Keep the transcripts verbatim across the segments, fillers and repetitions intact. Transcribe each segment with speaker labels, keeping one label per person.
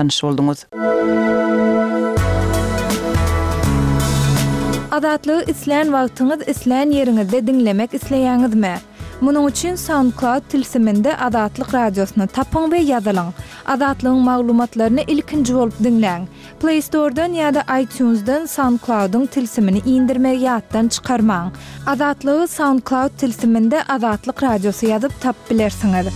Speaker 1: Tanyş bolduňyz.
Speaker 2: Azatlygy islän wagtyňyz, islän ýeriňizde diňlemek isleýäňizmi? Munuň üçin SoundCloud tilsiminde Azatlyk radiosyny tapyň we ýazylyň. Azatlygyň maglumatlaryny ilkinji bolup diňläň. Play Store-dan ýa-da iTunes-dan SoundCloud-yň tilsimini indirmegi ýatdan çykarmaň. Azatlygy SoundCloud tilsiminde Azatlyk radiosy ýazyp tapyp bilersiňiz.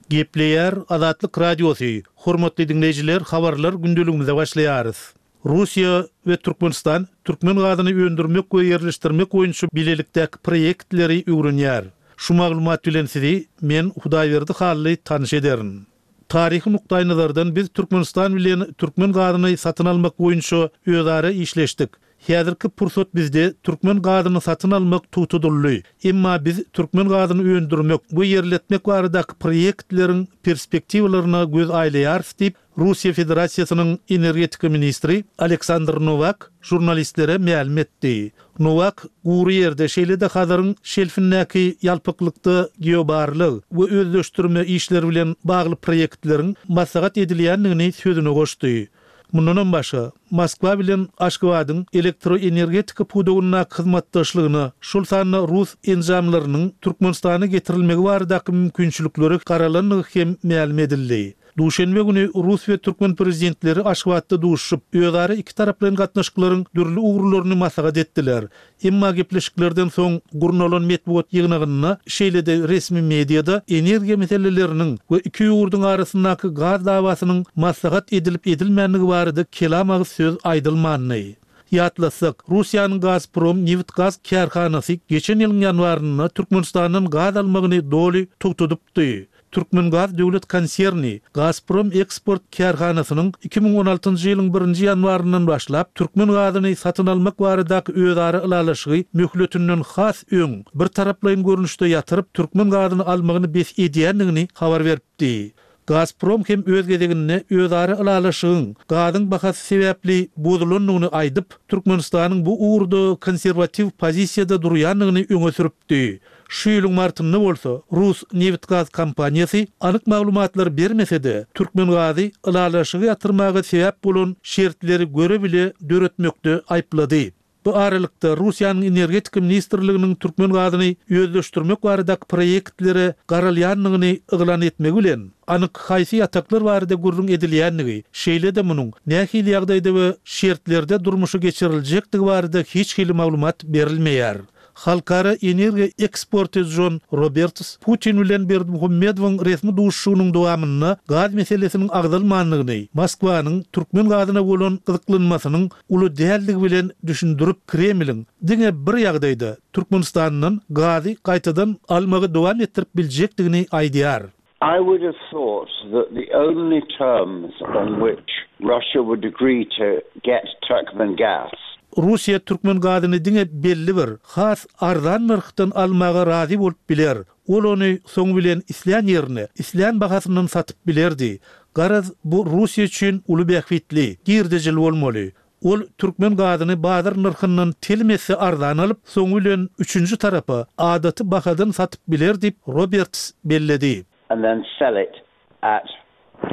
Speaker 3: Gepleýär Azatlyk Radiosy. Hormatly diňleýjiler, habarlar gündeligimize başlaýarys. Russiýa we Türkmenistan türkmen gazyny öndürmek we ýerleşdirmek boýunça bilelikdäki proýektleri öwrenýär. Şu maglumat bilen sizi men Hudaýberdi Hally tanyş ederin. Taryhy nukdaýnazardan biz Türkmenistan bilen türkmen gazyny satyn almak boýunça özara işleşdik. Häzirki pursat bizde türkmen gazyny satyn almak togtadyldy. Emma biz türkmen gazyny öndürmek we ýerletmek baradaky proýektleriň perspektiwalaryna göz aýlaýarys diýip, Russiýa Federasiýasynyň energetika ministri Aleksandr Nowak žurnalistlere mälim etdi. Nowak gury ýerde, şeýle-de Hazaryň şelfindäki ýalpaklykda geobarlag we özleşdirme işleri bilen bagly proýektleriň maslahat edilýändigini sözüne goşdy. Mundanam başga, Moskwa bilen Aşgabadyň elektroenergetika pudagyndaky hyzmatdaşlygyna, şol sanda rus enjamlarynyň Türkmenistana getirilmegi baradaky mümkinçiliklere garalandygy hem mälim edildi. Duşenbe güni rus we türkmen prezidentleri Aşgabatda duşuşyp, özara ikitaraplaýyn gatnaşyklaryň dürli ugurlaryny maslahat etdiler. Emma gepleşiklerden soň gurnalan metbugat ýygnagynda, şeýle-de resmi mediada energiýa meseleleriniň we iki ýurduň arasyndaky gaz dawasynyň maslahat edilip-edilmändigi barada kelam agyz söz aýdylmandy. Ýatlatsak, Russiýanyň Gazprom nebit-gaz kärhanasy geçen ýylyň ýanwarynda Türkmenistandan gaz almagyny doly togtadypdy. Türkmengaz döwlet konserni Gazprom eksport kärhanasynyň iki müň on altynjy ýylyň birinji ýanwaryndan başlap türkmen gazyny satyn almak baradaky özara ylalaşygy möhletinden has öň birtaraplaýyn görnüşde ýatyryp türkmen gazyny almagyny bes edýändigini habar beripdi. Gazprom hem öz gezeginde özara ylalaşygyň gazyň bahasy sebäpli bozulandygyny aýdyp, Türkmenistanyň bu ugurda konserwatiw pozisiýada durýandygyny öňe sürüpdi. Şu ýylyň martynda bolsa rus nebit-gaz kompaniýasy anyk maglumatlar bermese-de, Türkmengazy ylalaşygy ýatyrmaga sebäp bolan şertleri göre-bile döretmekde aýyplady. Bu aralykda, Russiýanyň Energetika ministrliginiň türkmen gazyny özleşdirmek baradaky proýektlere garalýandygyny yglan etmegi bilen, anyk haýsy ýataklar barada gürrüň edilýändigi, şeýle-de munuň nähili ýagdaýda we şertlerde durmuşa geçiriljekdigi barada hiç hili maglumat berilmeýär. Halkara energiýa eksporty Jon Roberts Putin bilen Berdimuhamedowyň resmi duşuşygynyň dowamynda gaz meselesiniň agzalmandygyny, Moskwanyň türkmen gazyna bolan gyzyklanmasynyň uly däldigi bilen düşündirip, Kremliň diňe bir ýagdaýda Türkmenistandan gazy gaýtadan almagy dowam etdirip biljekdigini aýdýar.
Speaker 4: I would have thought that the only terms on which Russia would agree to get Turkmen gas.
Speaker 3: Russiýa türkmen gazyny diňe belli bir, has arzan nyrhdan almaga razy bolup biler. Ol ony soň bilen islän ýerine, islän bahasyndan satyp bilerdi. Garaz, bu Russiýa üçin uly bähbitli, girdejili bolmaly. Ol türkmen gazyny bazar nyrhyndan telim esse arzan alyp, soňy bilen üçünji tarapa adaty bahadan satyp biler diýip, Roberts belledi.
Speaker 4: And then sell it at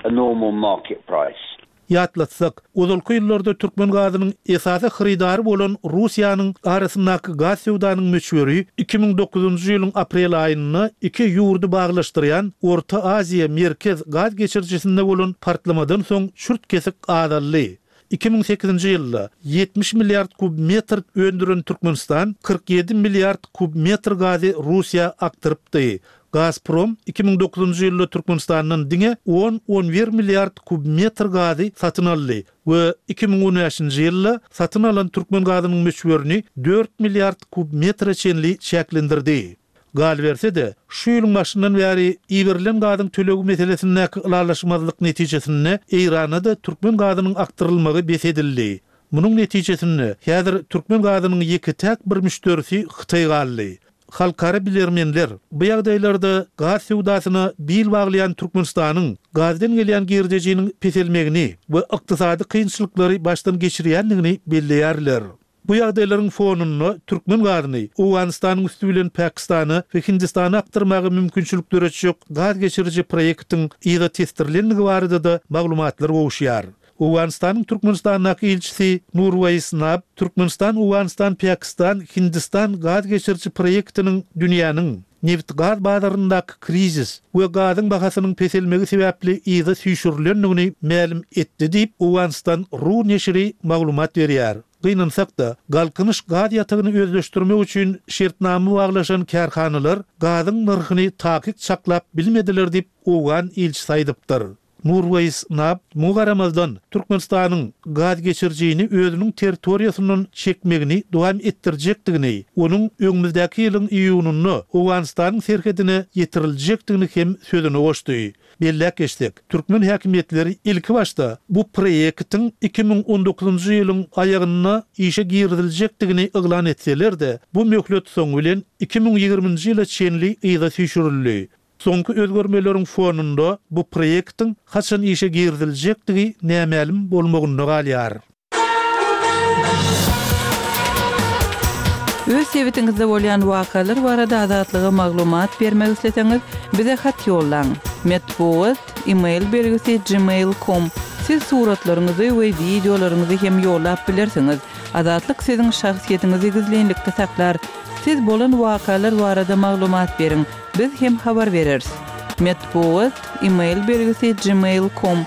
Speaker 4: a normal market price.
Speaker 3: Ýatlatsak, ozalky ýyllarda türkmen gazynyň esasy hyrydary bolan Russiýanyň arasyndaky gaz söwdanyň möçberi iki müň dokuzynjy ýylyň aprel aýynda iki ýurdy baglaşdyrýan Orta Aziýa, Merkez gaz geçirijisinde bolan partlamadan soň çürt-kesik azaldy. Iki müň sekizinji ýylda ýetmiş milliard kub metr öndüren Türkmenistan kyrk ýedi milliard kub metr gazy Russiýa akdyrypdy. Gazprom iki müň dokuzynjy ýylda Türkmenistandan diňe on-on bir milliard kub metr gazy satyn aldy we iki müň on bäşinji ýylda satyn alan türkmen gazynyň möçberini dört milliard kub metre çenli çäklendirdi. Galyberse-de, şu ýylyň başyndan bäri iberilen gazyň tölegi meselesindäki ylalaşmazlyk netijesinde Eýrana-da türkmen gazynyň akdyrylmagy bes edildi. Munuň netijesinde, häzir türkmen gazynyň ýeke-täk bir müşderisi Hytaý galdy. Halkara bilermenler bu ýagdaýlarda gaz söwdasyna bil baglaýan Türkmenistanyň gazdan gelýän girdejiniň peselmegini we ykdysady kynçylyklary başdan geçirýändigini belleýärler. Bu ýagdaýlaryň fonunda türkmen gazyny Owganystanyň üsti bilen Pakistana we Hindistana akdyrmaga mümkinçilik döretjek gaz geçiriji proýektiň yza tesdirilendigi barada-da maglumatlar gowuşýar. Owganystanyň Türkmenistandaky ilçisi Nurwaýis Nab Türkmenistan Owganystan Pakistan Hindistan gaz geçiriji proýektiniň dünýäniň neft gaz bazaryndaky krizis we gazyň bahasynyň peselmegi sebäpli yza süýşürilendigini mälim etdi diýip Owganystan Ru neşiri maglumat berýär. Gynansak-da, Galkynyş gaz ýatagyny özleşdirmek üçin şertnama baglaşan kärhanalar gazyň nyrhyny takyk çaklap bilmediler diýip Owgan ilçisi aýdypdyr. Nurwaýis Nab muňa garamazdan Türkmenistanyň gaz geçirijini özüniň territoriýasyndan çekmegini dowam etdirjekdigini, onuň öňümizdäki ýylyň iýunynda Owganystanyň serhedine ýetiriljekdigini hem sözüne goşdy. Belläp geçsek, türkmen häkimiýetleri ilki başda bu proýektiň iki müň on dokuzynjy ýylyň aýagynda işe giriziljekdigini yglan etseler-de, bu möhlet soň bilen iki müň ýigriminji ýyla çenli yza süýşürildi. Soňky özgermeleriň fonunda bu proýektiň haçan işe giriziljekdigi nämälim bolmagynda galýar.
Speaker 1: Öz sebitiňizde bolýan wakalar barada Azatlyga maglumat bermek isleseňiz, bize hat ýollaň. Metbugat, e-mail belgisi gmail nokta com. Siz suratlaryňyzy we wideolaryňyzy hem ýollap bilersiňiz. Azatlyk siziň şahsyýetiňizi gizlinlikde saklar. Siz bolan wakalar barada maglumat beriň. Biz hem habar bereris. Metbugat, e-mail belgisi gmail nokta com.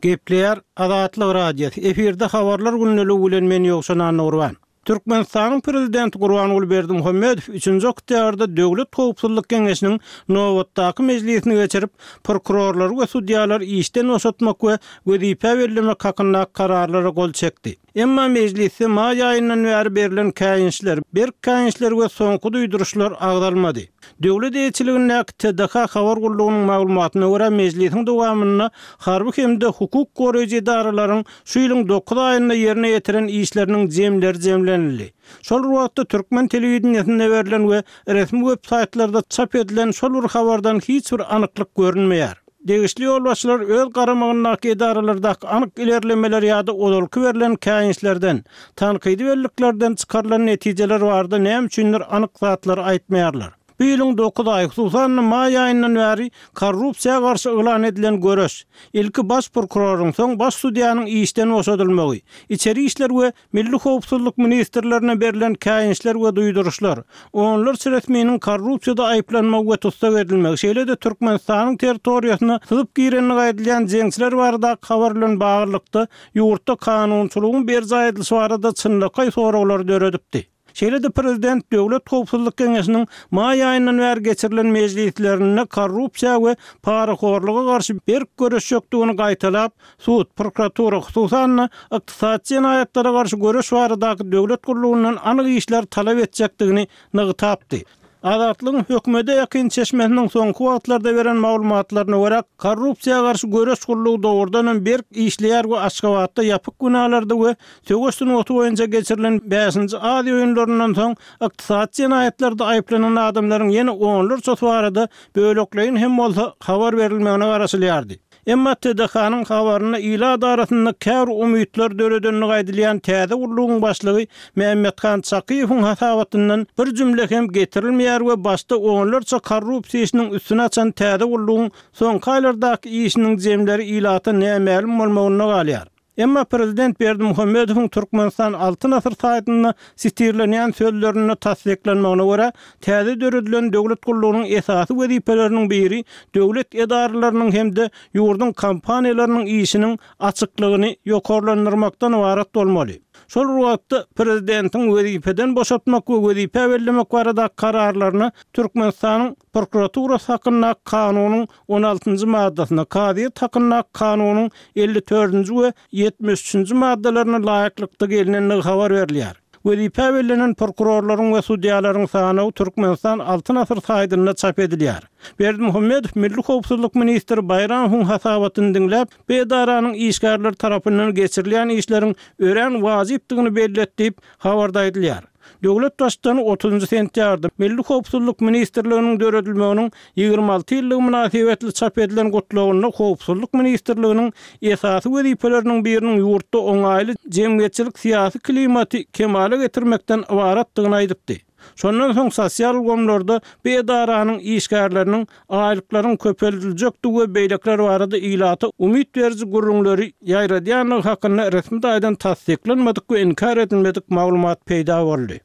Speaker 5: Gepleýär Azatlyk Radiosy. Efirde habarlar gündeligi bilen men Ýowşan Annagurban. Türkmenistanyň prezidenti Gurbanguly Berdimuhamedow üçünji oktýabrda Döwlet Howpsuzlyk Geňeşiniň nobatdaky mejlisini geçirip, prokurorlary we sudýalary işden boşatmak we wezipe bellemek hakyndaky kararlara gol çekdi. Emma mejlisde maý aýyndan bäri berlen käýinçler, berk käýinçler we soňky duýduryşlar agzalmady. Döwlet eýeçiligindäki T D H habar gullugynyň maglumatyna görä mejlisiň dowamynda harby hem-de hukuk goraýjy edaralaryň şu ýylyň dokuz aýynda ýerine ýetiren işleriniň jemleri jemlenildi. Şol wagtda türkmen telewideniýesinde berlen we resmi web saýtlarda çap edilen şol bir habardan hiç bir anyklyk görünmeýär. Degişli ýolbaşçylar öz garamagyndaky edaralardaky anyk ilerlemeler ýa-da ozalky berlen käýinçlerden, tankydy belliklerden çykarylan netijeler barada näme üçindir anyk zatlary aýtmaýarlar. Bu ýylyň dokuz aýy, hususan maý aýyndan bäri korrupsiýa garşy yglan edilen göreş, ilki baş prokuroryň, soň baş sudýanyň işden boşadylmagy, içeri işler we Milli Howpsuzlyk ministrlerine berlen käýinçler we duýduryşlar, onlarça resminiň korrupsiýada aýyplanmagy we tussag edilmegi, şeýle-de Türkmenistanyň territoriýasyna syzyp girenligi aýdylýan jeňçiler baradaky habar bilen baglylykda ýurtda kanunçylygyň berjaý edilişi barada çynlakaý soraglary döredipdi. Şeýle-de prezident Döwlet Howpsuzlyk Geňeşiniň maý aýyndan bäri geçirilen mejlislerinde korrupsiýa we parahorluga garşy berk göreşjekdigini gaýtalap, sud, prokuratura, hususan-da ykdysady jenaýatlara garşy göreş baradaky döwlet gullugyndan anyk işler talap etjekdigini nygtapdy. Azatlygyň hökümete ýakyn çeşmesiniň soňky wagtlarda beren maglumatlaryna görä, korrupsiýa garşy göreş gullugy dogrudan hem berk işleýär we Aşgabatda ýapyk binalarda we söweş sungaty boýunça geçirilen bäşinji Aziýa oýunlaryndan soň ykdysady jenaýatlarda aýyplanan adamlaryň ýene onlarçasy barada bölekleýin hem bolsa habar berilmegine garaşylýardy. Emma T D H-nyň habarynda ilat arasynda käbir umytlar döredenligi aýdylýan täze gullugyň başlygy Mehmethan Çakyýewiň hasabatyndan bir jümle hem getirilmeýär we başda onlarça korrupsiýa işiniň üstüni açan täze gullugyň soňky aýlardaky işiniň jemleri ilata nämälim bolmagynda galýar. Emma prezident Berdimuhamedowyň Türkmenistan Altyn asyr saýtynda sitirlenýän sözlerinde tassyklanmagyna görä, täze döredilen döwlet gullugynyň esasy wezipeleriniň biri döwlet edaralarynyň hem-de ýurduň kompaniýalarynyň işiniň açyklygyny ýokarlandyrmakdan ybarat bolmaly. Şol wagtda prezidentiň wezipeden boşatmak we wezipe bellemek baradaky kararlaryna Türkmenistanyň prokuraturasy hakyndaky kanunyň on altynjy maddasyna, kazyýet hakyndaky kanunyň elli dördünji we ýetmiş üçünji maddalaryna laýyklykda gelinendigi habar berilýär. Wezipe bellenen prokurorlaryň we sudýalaryň sanawy Türkmenistan Altyn asyr saýtynda çap edilýär. Berdimuhamedow Milli Howpsuzlyk ministri Baýramowyň hasabatyny diňläp, bu edaranyň işgärleri tarapyndan geçirilýän işleriň örän wajypdygyny bellet diýip habarda aýdylýar. Döwlet Baştutany otuzynjy sentýabrda Milli howpsuzlyk ministrliginiň döredilmeginiň ýigrimi alty ýyllygy mynasybetli çap edilen Gutlagynda Howpsuzlyk ministrliginiň esasy wezipeleriniň biriniň ýurtda oňaýly jemgyýetçilik-syýasy klimaty kemala getirmekden ybaratdygyny aýdypdy. Şondan soň sosial ulgamlarda bu edaranyň işgärleriniň aýlyklaryň köpeldiljekdigi we beýlekiler barada ilata umyt beriji gürrüňleri ýaýradýandygy hakynda resmi taýdan tassyklanmadyk we inkär edilmedik maglumat peýda boldy.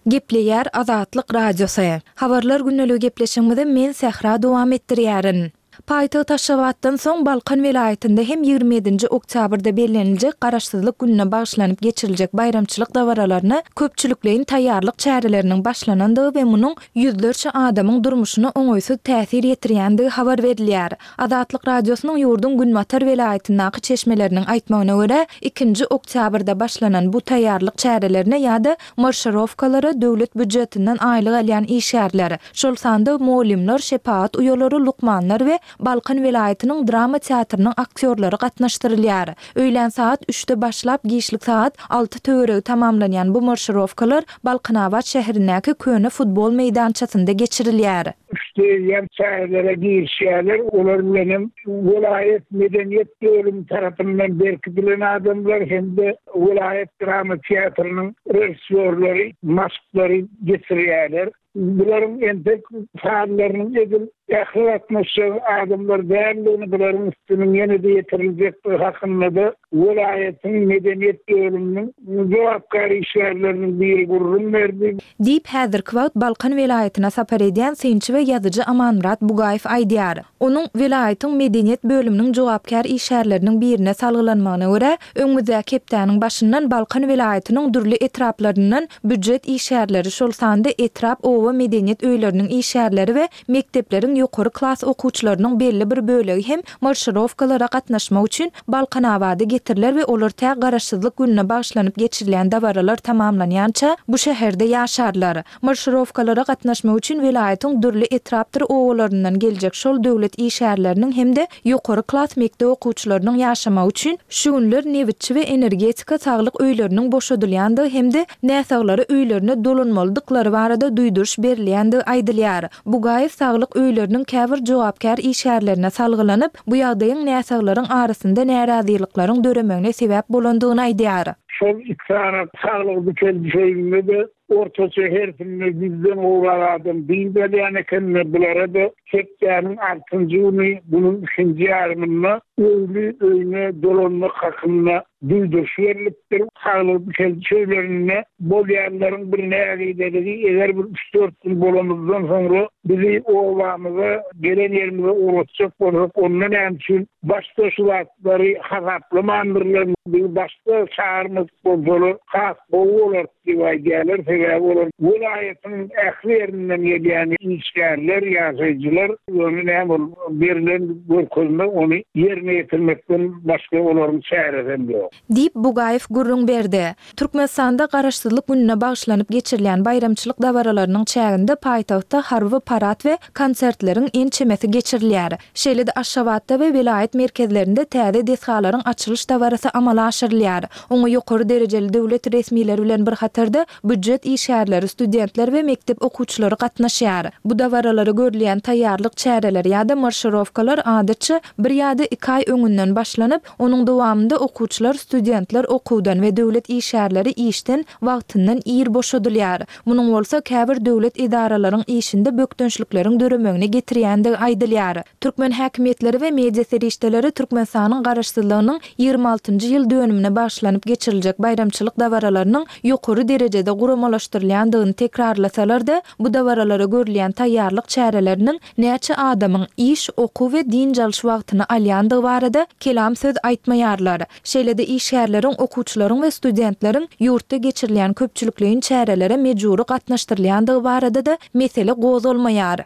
Speaker 2: Gepleýär Azatlyk Radiosy. Habarlar gündeligi gepleşigimizi men Sähra dowam etdirýärin. Paýtagt Aşgabatdan soň Balkan welaýatynda hem ýigrimi ýedinji oktýabrda belleniljek Garaşsyzlyk gününe bagyşlanyp geçiriljek baýramçylyk dabaralaryna köpçülikleýin taýýarlyk çäreleriniň başlanandygy we munuň ýüzlerçe adamyň durmuşyna oňaýsyz täsir ýetirýändigi habar berilýär. Azatlyk Radiosynyň ýurduň günbatar welaýatyndaky çeşmeleriniň aýtmagyna görä, ikinji oktýabrda başlanan bu taýýarlyk çärelerine ýa-da marşirowkalara döwlet býujetinden aýlyk alýan işgärler, şol sanda mugallymlar, şepagat uýalary, lukmanlar we Balkan welaýatynyň drama teatrynyň aktýorlary gatnaşdyrylýar. Öýlän sagat üçde başlap, giçlik sagat alty töweregi tamamlanýan bu marşirowkalar Balkanabat şäherindäki köne futbol meýdançasynda geçirilýär.
Speaker 6: Üçde eýýäm çärelere girişýärler. Olar bilen hem welaýat medeniýet bölümi tarapyndan berkidilen adamlar hem-de welaýat drama teatrynyň režissýorlary maşklary geçirýärler. Bularyň entek sazlarynyň edil ähli gatnaşjak adamlar däldigini, bularyň üstüniň ýene-de ýetiriljekdigi hakynda-da welaýatyň medeniýet bölüminiň jogapkär işgärleriniň biri gürrüň berdi.
Speaker 2: Diýip, häzirki wagt Balkan welaýatyna sapar edýän synçy we ýazyjy Amanmyrat Bugaýew aýdýar. Onuň welaýatyň medeniýet bölüminiň jogapkär işgärleriniň birine salgylanmagyna görä, öňümizdäki hepdäniň başyndan Balkan welaýatynyň dürli etraplaryndan býujet işgärleri, şol sanda etrap, oba medeniýet öýleriniň işgärleri we mekdepleriň ýokary klas okuwçylarynyň belli bir bölegi hem marşirowkalara gatnaşmak üçin Balkanabada getiriler we olar tä Garaşsyzlyk gününe bagyşlanyp geçirilýän dabaralar tamamlanýança bu şäherde ýaşarlar. Marşirowkalara gatnaşmak üçin welaýatyň dürli etrapdyr obalaryndan geljek şol döwlet işgärleriniň hem-de ýokary klas mekdep okuwçylarynyň ýaşamagy üçin şu günler nebitçi we energetika saglyk öýleriniň boşadylýandygy hem-de näsaglara öýlerine dolanmalydyklary barada duýduryş berilýändigi aýdylýar. Bugaýew saglyk öýleriniň käbir jogapkär işgärlerine salgylanyp, bu ýagdaýyň näsaglaryň arasynda närazylyklaryň döremegine sebäp bolandygyny aýdýar.
Speaker 6: Şol iki sany saglyk dikeldiş öýünde-de ortaça hersinde ýüzden gowrak adam dynç alýan ekenler, bulara-da hepdäniň altynjy güni günüň ikinji ýarymynda öýli öýüne dolanmak hakynda duýduryş berlipdir. Saglyk dikeldiş öýlerinde bolýanlaryň bir nägileligi, eger bir üç-dört gün bolanymyzdan soňra bizi obamyza, gelen ýerimize ugratjak bolsak, onda näme üçin başda şu zatlary hasaplamandyrlar, bizi başda çagyrmadyk bolsalar has gowy bolar diýip aýdýarlar. Sebäbi olar welaýatyň ähli ýerinden gelýän işgärler, ýaşaýjylar, ýöne näme ol berlen görkezme ony ýerine ýetirmekden başga olaryň çäresi hem ýok.
Speaker 2: Diýip, Bugaýew gürrüň berdi. Türkmenistanda Garaşsyzlyk gününe bagyşlanyp geçirilýän baýramçylyk dabaralarynyň çäginde paýtagtda harby parad we konsertleriň ençemesi geçirilýär. Şeýle-de Aşgabatda we welaýat merkezlerinde täze desgalaryň açylyş dabarasy amala aşyrylýar. Oňa ýokary derejeli döwlet resmileri bilen bir hatarda býujet işgärleri, studentler we mekdep okuwçylary gatnaşýar. Bu dabaralara görülýän taýýarlyk çäreleri ýa-da marşirowkalar adatça bir ýa-da iki aý öňünden başlanyp, onuň dowamynda okuwçylar, studentler okuwdan we döwlet işgärleri işden wagtyndan ir boşadylýar. Munuň bolsa käbir döwlet edaralaryň işinde bökdençlikleriň döremegine getirýändigi aýdylýar. Türkmen häkimiýetleri we media serişdeleri Türkmenistanyň Garaşsyzlygynyň ýigrimi altynjy ýyl dönümine bagyşlanyp geçiriljek baýramçylyk dabaralarynyň ýokary derejede guramalaşdyrylýandygyny tekrarlasalar-da, bu dabaralara görülýän taýýarlyk çäreleriniň näçe adamyň iş, okuw we dynç alyş wagtyny alýandygy barada kelam söz aýtmaýarlar. Şeýle-de işgärleriň, okuwçylaryň we studentleriň ýurtda geçirilýän köpçülikleýin çärelere mejbury gatnaşdyrylýandygy barada-da mesele gozgalmaýar.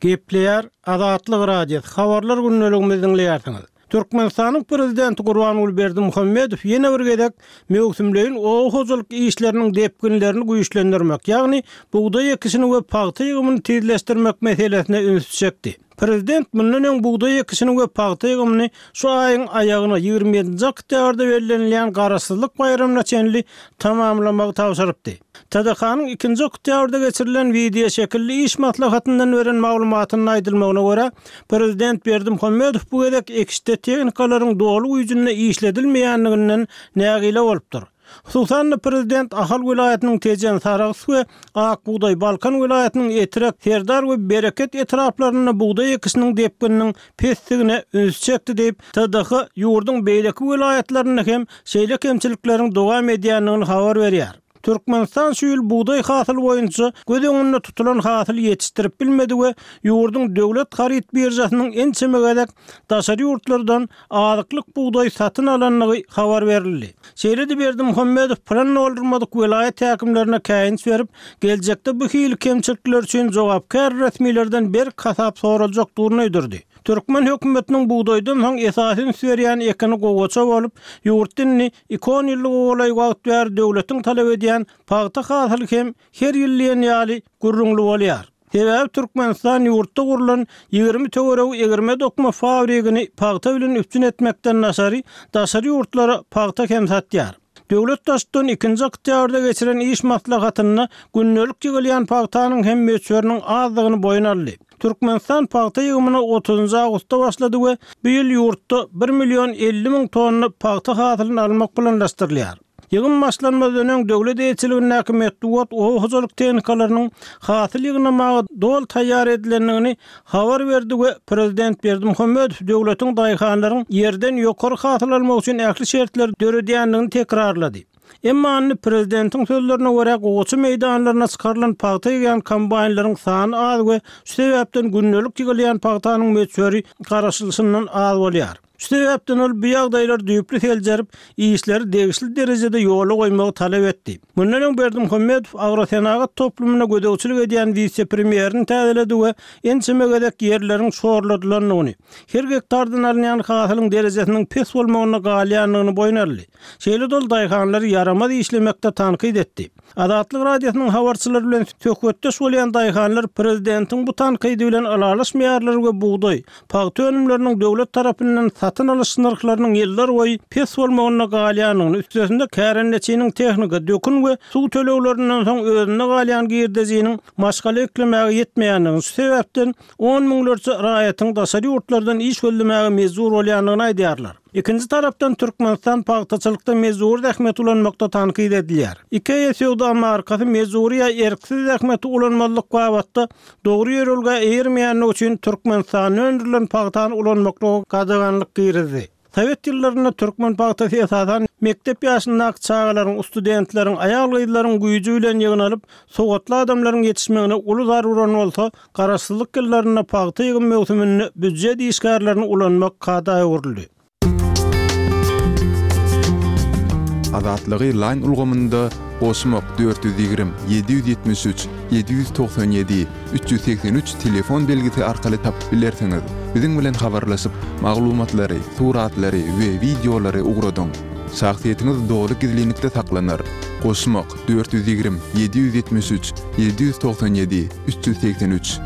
Speaker 5: Gepleýär Azatlyk Radiosy, Habarlar gündeligimizi diňleýärsiňiz. Türkmenistanyň Prezidenti Gurbanguly Berdimuhamedow ýene bir gezek möwsümleýin oba hojalyk işleriniň depginlerini güýçlendirmek, ýagny bugdaý ekişini we pagta ýygymyny tizleşdirmek meselesine ünsi çekdi. Prezident mundan öň bugdaý ekişini we pagta ýygymyny şu aýyň aýagyna ýigrimi ýedinji oktýabrda bellenilýän Garaşsyzlyk baýramyna çenli tamamlamagy tabşyrypdy. T D K-nyň ikinji oktýabrda geçirilen wideo şekilli iş maslahatyndan beren maglumatynda aýdylmagyna görä, prezident Berdimuhamedow bu gezek ekişde tehnikalaryň doly güýjünde işledilmeýänliginden nägile bolupdyr. Hususan-da prezident Ahal welaýatynyň Tejen, Sarahs we Ak bugdaý, Balkan welaýatynyň Etrek, Serdar we Bereket etraplarynda bugdaý ekişiniň depgininiň pesligine üns çekdi diýip, T D H ýurduň beýleki welaýatlarynda hem şeýle kemçilikleriň dowam edýändigini habar berýär. Türkmenistan şu ýyl bugdaý hasyly boýunça göz öňünde tutulan hasyly ýetişdirip bilmedi we ýurduň döwlet haryt biržasynyň ençeme gezek daşary ýurtlardan azyklyk bugdaý satyn alandygy habar berildi. Şeýle-de Berdimuhamedow plan doldurmadyk welaýat häkimlerine käýinç berip, geljekde bu hili kemçilikler üçin jogapkär resmilerden berk hasap soraljakdygyny aýdyrdy. Türkmen hökümetiniň bugdaýdan soň esasy üns berýän ekini gowaça bolup, ýurtda indi iki on ýyllyga golaý wagt bäri döwletiň talap edýän pagta hasyly hem her ýyl diýen ýaly gürrüňli bolýar. Sebäbi Türkmenistan ýurtda gurlan ýigrimi töweregi egirme dokma fabrigini pagta bilen üpjün etmekden daşary, daşary ýurtlara pagta hem satýar. Döwlet Baştutany ikinji oktýabrda geçiren iş maslahatynda gündelik ýygylýan pagtanyň hem möçberiniň azdygyny boýun aldy. Türkmenistan pagta ýygymyna otuzynjy awgustda başlady we bu ýyl ýurtda bir million elli müň tonna pagta hasylyny almak planlaşdyrylýar. Ýygym başlanmazdan öň döwlet eýeçiligindäki metbugat oba hojalyk tehnikalarynyň hasyl ýygnamaga doly taýýar edilendigini habar berdi we prezident Berdimuhamedow döwletiň daýhanlaryň ýerden ýokary hasyl almak üçin ähli şertleri döredýändigini tekrarlady. Emma indi prezidentiň sözlerine görä gowaça meýdanlaryna çykarylan pagta ýygýan kombaýnlaryň sany az we şu sebäpden gündelik ýygylýan pagtanyň möçberi garaşylyşyndan az bolýar. Şu sebäpden ol bu ýagdaýlary düýpli seljerip, işleri degişli derejede ýola goýmagy talap etdi. Mundan öň Berdimuhamedow agrosenagat toplumyna gözegçilik edýän wise-premýerini täzeledi we ençeme gezek ýerleriň şorladylandygyny, her gektardan alynýan hasylyň derejesiniň pes bolmagyna galýandygyny boýun aldy. Şeýle-de ol daýhanlary ýaramaz işlemekde tankyt etdi. Azatlyk Radiosynyň habarçylary bilen söhbetdeş bolýan daýhanlar prezidentiň bu tankydy bilen ylalaşmaýarlar we bugdaý, pagta önümleriniň döwlet tarapyndan satyn alyş nyrhlarynyň ýyllar boýy pes bolmagyna galýandygyny, üstesinde kärendeçiniň tehnika, dökün we suw töleglerinden soň özünde galýan girdejiniň maşgala eklemäge ýetmeýändigini, şu sebäpden on müňlerçe raýatyň daşary ýurtlardan iş gözlemäge mejbur bolýandygyny aýdýarlar. Ikinji tarapdan Türkmenistan pagtaçylykda mejbur zähmet ulanmakda tankyt edilýär. IKEA söwda markasy mejbur ýa erksiz zähmeti ulanmazlyk babatda dogry ýörelgä eýermeýändigi üçin Türkmenistanda öndürilen pagtany ulanmaklyga gadaganlyk girizdi. Sowet ýyllarynda türkmen pagtasy esasan mekdep ýaşyndaky çagalaryň, studentleriň, aýal-gyzlaryň güýji bilen ýygnalyp, sowatly adamlaryň ýetişmegine uly zar uran bolsa, garaşsyzlyk ýyllarynda pagta ýygym möwsüminde býujet işgärlerini ulanmak kada öwrüldi.
Speaker 7: Azatlygy Line ulgamynda goşmak dört ýüz ýigrimi, ýedi ýüz ýetmiş üç, ýedi ýüz togsan ýedi, üç ýüz segsen üç telefon belgisi arkaly tapyp bilersiňiz. Biziň bilen habarlaşyp, maglumatlary, suratlary we wideolary ugradyň. Şahsyýetiňiz doly gizlinlikde saklanar. Goşmak dört ýüz ýigrimi, ýedi ýüz ýetmiş üç, ýedi ýüz togsan ýedi, üç ýüz segsen üç.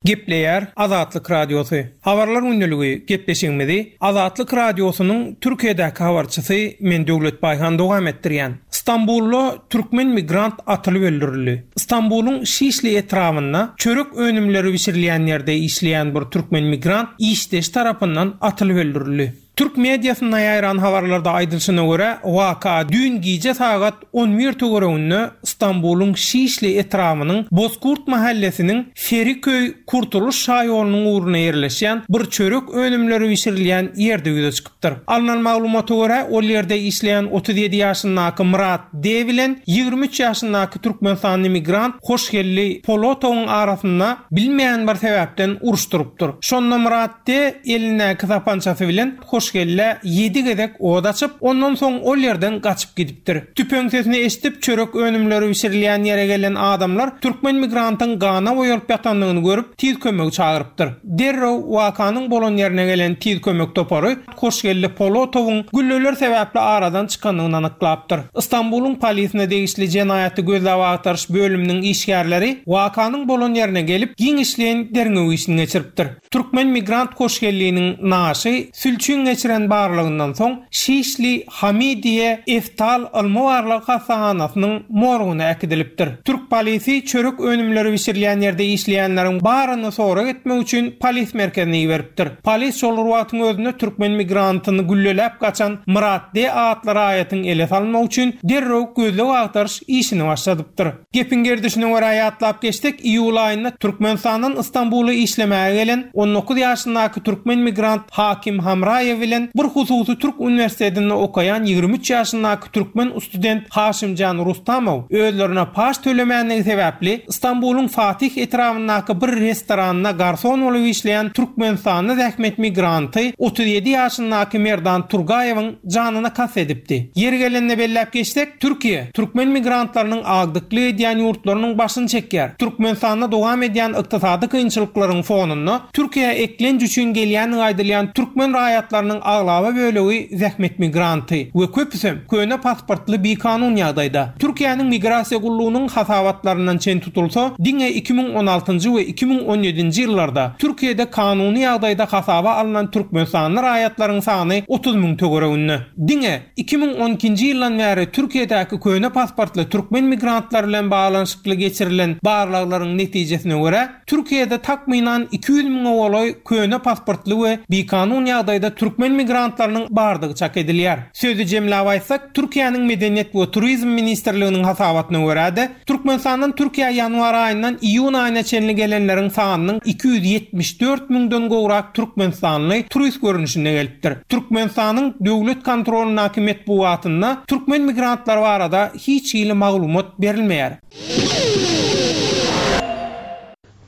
Speaker 8: Gepleýär Azatlyk Radiosy. Habarlar gündeligi gepleşigimizi Azatlyk Radiosynyň Türkiýedäki habarçysy men Döwlet Baýhan dowam etdirýän. Stambulda türkmen migrant atylyp öldürildi. Stambulyň Şişli etrabynda çörek önümleri bişirilýän ýerde işleýän bir türkmen migrant işdeş tarapyndan atylyp öldürildi. Türk mediasynda ýaýran habarlarda aýdylyşyna görä, waka düýn gije sagat on bir töwereginde Stambulyň Şişli etrabynyň Bozkurt mahallesiniň Feriköý Kurtuluş şaýolunyň ugruna ýerleşýän bir çörek önümleri bişirilýän ýerde ýüze çykypdyr. Alynan maglumata görä, ol ýerde işleýän otuz ýedi ýaşyndaky Murat D bilen ýigrimi üç ýaşyndaky Türkmenistanly migrant Hoşgeldi Polotowyň arasynda bilmeýän bir sebäpden uruşdyrypdyr. Şonda Murat D elindäki sapançasy bilen Hoşgeldi Hoşgellä ýedi gezek od açyp, ondan soň ol ýerden gaçyp gidipdir. Tüpeň sesini eşidip çörek önümleri bişirilýän ýere gelen adamlar türkmen migrantyň gana boýalyp ýatandygyny görüp tiz kömegi çagyrypdyr. Derrew wakanyň bolan ýerine gelen tiz kömek topary Hoşgelli Polotowyň gülleler sebäpli aradan çykandygyny anyklapdyr. Istanbulyň polisine degişli jenaýaty gözläp agtaryş bölüminiň işgärleri wakanyň bolan ýerine gelip giňişleýin derňew işini geçiripdir. Türkmen migrant Hoşgelliniň naşy sülçüň geçiren barlygyndan soň Şişli Hamidiye Eftal ylmy barlag hassahanasynyň morguna äkidilipdir. Türk polisi çörek önümleri bişirilýän ýerde işleýänleriň baryny sorag etmek üçin polis merkezine iberipdir. Polis şol wagtyň özünde türkmen migrantyny gülleläp gaçan Murat D atly raýatyň ele salmak üçin derrew gözleg agtaryş işini başladypdyr. Gepin gerdişine görä ýatlap geçdik, iýul aýynda Türkmenistandan Istanbula işlemäge gelen on dokuz ýaşyndaky türkmen migrant Hakim Hamraýew bilen bir hususy Türk uniwersitetinde okaýan ýigrimi üç ýaşyndaky türkmen student Haşimjan Rustamow özlerine paş tölemänligi sebäpli Istanbulyň Fatih etrabyndaky bir restoranda garson bolup işleýän Türkmenistanly zähmet migranty otuz ýedi ýaşyndaky Merdan Turgaýewiň janyna kast edipdi. Ýeri gelende belläp geçsek, Türkiýe türkmen migrantlarynyň agdykly edýän ýurtlarynyň başyny çekýär. Türkmenistanda dowam edýän ykdysady kynçylyklaryň fonunda Türkiýe eklenç üçin gelýän aýdylýan türkmen raýatlarynyň aglaba bölegi zähmet migranty we köpüsem köne pasportly bikanun ýagdaýda. Türkiýäniň migrasiýa gullugynyň hasabatlaryndan çen tutulsa, diňe iki müň on altynjy we iki müň on ýedinji ýyllarda Türkiýede kanuny ýagdaýda hasaba alynan Türkmenistanly raýatlaryň sany otuz müň töwereginde. Diňe iki müň on ikinji ýyldan bäri Türkiýedäki köne pasportly türkmen migrantlary bilen baglanyşykly geçirilen barlaglaryň netijesine görä, Türkiýede takmynan iki ýüz müňe golaý köne pasportly we bikanun ýagdaýda türkmen migrantlarynyň bardygy çak edilýär. Sözi jemläp aýtsak, Türkiýäniň Medeniýet we Turizm ministrliginiň hasabatyna görä-de, Türkmenistandan Türkiýä ýanwar aýyndan iýun aýyna çenli gelenleriň sanynyň iki ýüz ýetmiş dört müňden gowrak Türkmenistanly turist görnüşinde gelipdir. Türkmenistanyň döwlet kontrolundaky metbugatynda türkmen migrantlary barada hiç hili maglumat berilmeýär.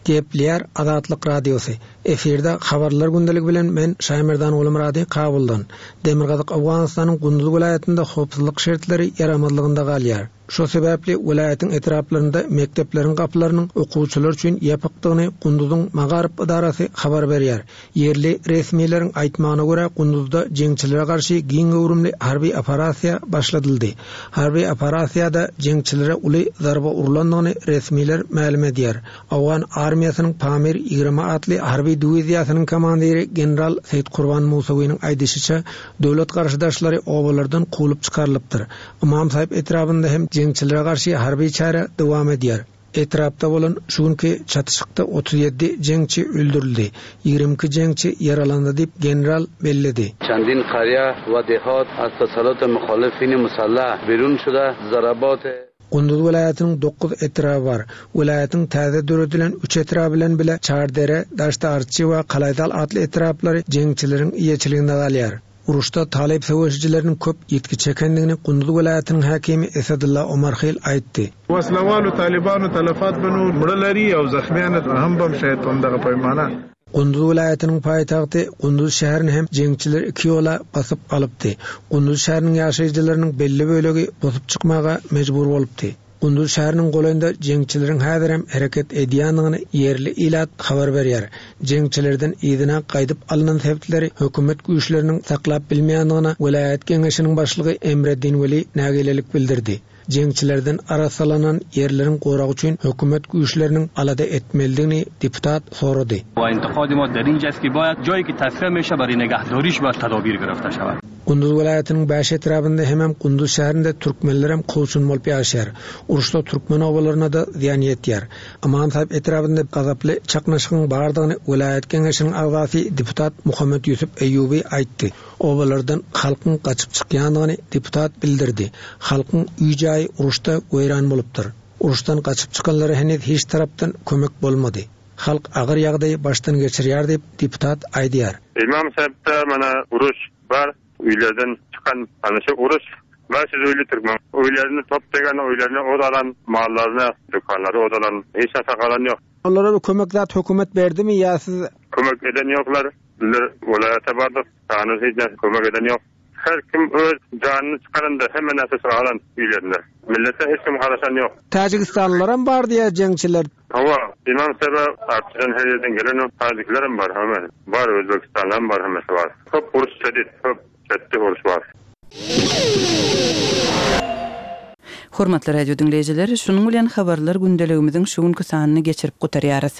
Speaker 9: Gepleýär Azatlyk Radiosy. Efirde habarlar gündeligi bilen men Şaýmerdan Gulmyrady Kabuldan. Demirgazyk Owganystanyň Gunduz welaýatynda howpsuzlyk şertleri ýaramazlygynda galýar. Şo sebäpli welaýatyň etraplarynda mekdepleriň gapylarynyň okuwçylar üçin ýapykdygyny Gunduzyň Magaryp idarasy habar berýär. Ýerli resmileriň aýtmagyna görä Gunduzda jeňçilere garşy giň göwrümli harby operasiýa başladyldy. Harby operasiýada jeňçilere uly zarba urlandygyny resmiler mälim edýär. Owgan armiýasynyň Pamir ýigrimi atly harby diwiziýasynyň komandiri general Seýit Kurban Musawynyň aýdyşyça döwlet garşydaşlary obalardan kowlup çykarylypdyr. Imam Sahip etrabynda hem jeňçilere garşy harby çäre dowam edýär. Etrapda bolan şu günki çatyşykda otuz ýedi jeňçi öldürildi. Ýigrimi iki jeňçi ýaralandy diýip general belledi.
Speaker 10: Çandin qarya we dehat az tasallut muhalifin musallah birun şuda zarabat
Speaker 9: Gunduz welaýatynyň dokuz etraby bar. Welaýatyň täze döredilen üç etraby bilen bile Çardere, Daştarçy we Kalaýdal atly etraplary jeňçileriň eýeçiliginde galýar. Uruşda Talip söweşijileriniň köp ýetki çekendigini Gunduz welaýatynyň häkimi Esadullah Omarhil aýtdy.
Speaker 11: Waslawal Talibanu talafat banu muralari aw zakhmiyan ham bam shayt onda paymana.
Speaker 9: Gunduz welaýatynyň paýtagty Gunduz şäherini hem jeňçiler iki ýola basyp alypdy. Gunduz şäheriniň ýaşaýjylarynyň belli bölegi bosup çykmaga mejbur bolupdy. Gunduz şäheriniň golaýynda jeňçileriň häzir hem hereket edýändigini ýerli ilat habar berýär. Jeňçilerden yzyna gaýdyp alynan sebitleri hökümet güýçleriniň saklap bilmeýändigine welaýat geňeşiniň başlygy Emreddin Weli nägilelik bildirdi. Jeňçilerden arasalanan ýerleriň goragy üçin hökümet güýçleriniň alada etmelidigini deputat sorady.
Speaker 12: Va intiqad ma der injast ki bayad joyi ki tasfiye meşe bari nigahdoриş va tadabir girifte şevad.
Speaker 9: Gunduz welaýatynyň bäş etrabynda hemem Gunduz şäherinde türkmenler hem kowçun bolup ýaşaýar. Uruşda türkmen obalaryna da zyýan ýetýär. Imam Sahip etrabynda gazaply çaknyşygyň bardygyny welaýat geňeşiniň agzasy deputat Muhammed Ýusuf Eýýubi aýtdy. Obalardan halkyň gaçyp çykýandygyny deputat bildirdi. Halkyň öý-jaýy uruşda weýran bolupdyr. Uruşdan gaçyp çykanlara henüz hiç tarapdan kömek bolmady. Halk agyr ýagdaýy başdan geçirýär diýip deputat aýdýar.
Speaker 11: Imam Sahipde mana uruş bar. Öýlerden çykan ana şu uruş bäş ýüz öýli türkmen öýlerini top degen öýlerini odalan mallaryny dükanlary odalan hiç narsa galan ýok.
Speaker 9: Olara bir kömek zat hökümet berdimi ýa siz
Speaker 11: Kömek eden ýoklar. Bizler welaýat Welaýata bardyk, hanyz hiç näçe kömek eden ýok. Her kim öz janyny çykaranda hemme näçe alan öýlerinde. Millete hiç kim garaşan ýok.
Speaker 9: Täjigistanlylaram bar diýýär jeňçiler.
Speaker 11: Hawa, imam sebe artýan her ýerden gelen täjiklerem bar, hemme. Bar Özbekistandan bar, hemmesi bar. Köp uruş şedid, köp şedid uruş bar.
Speaker 1: Hormatly radio diňleýjiler, şunuň bilen habarlar gündeligimiziň şu günki sanyny geçirip gutarýarys.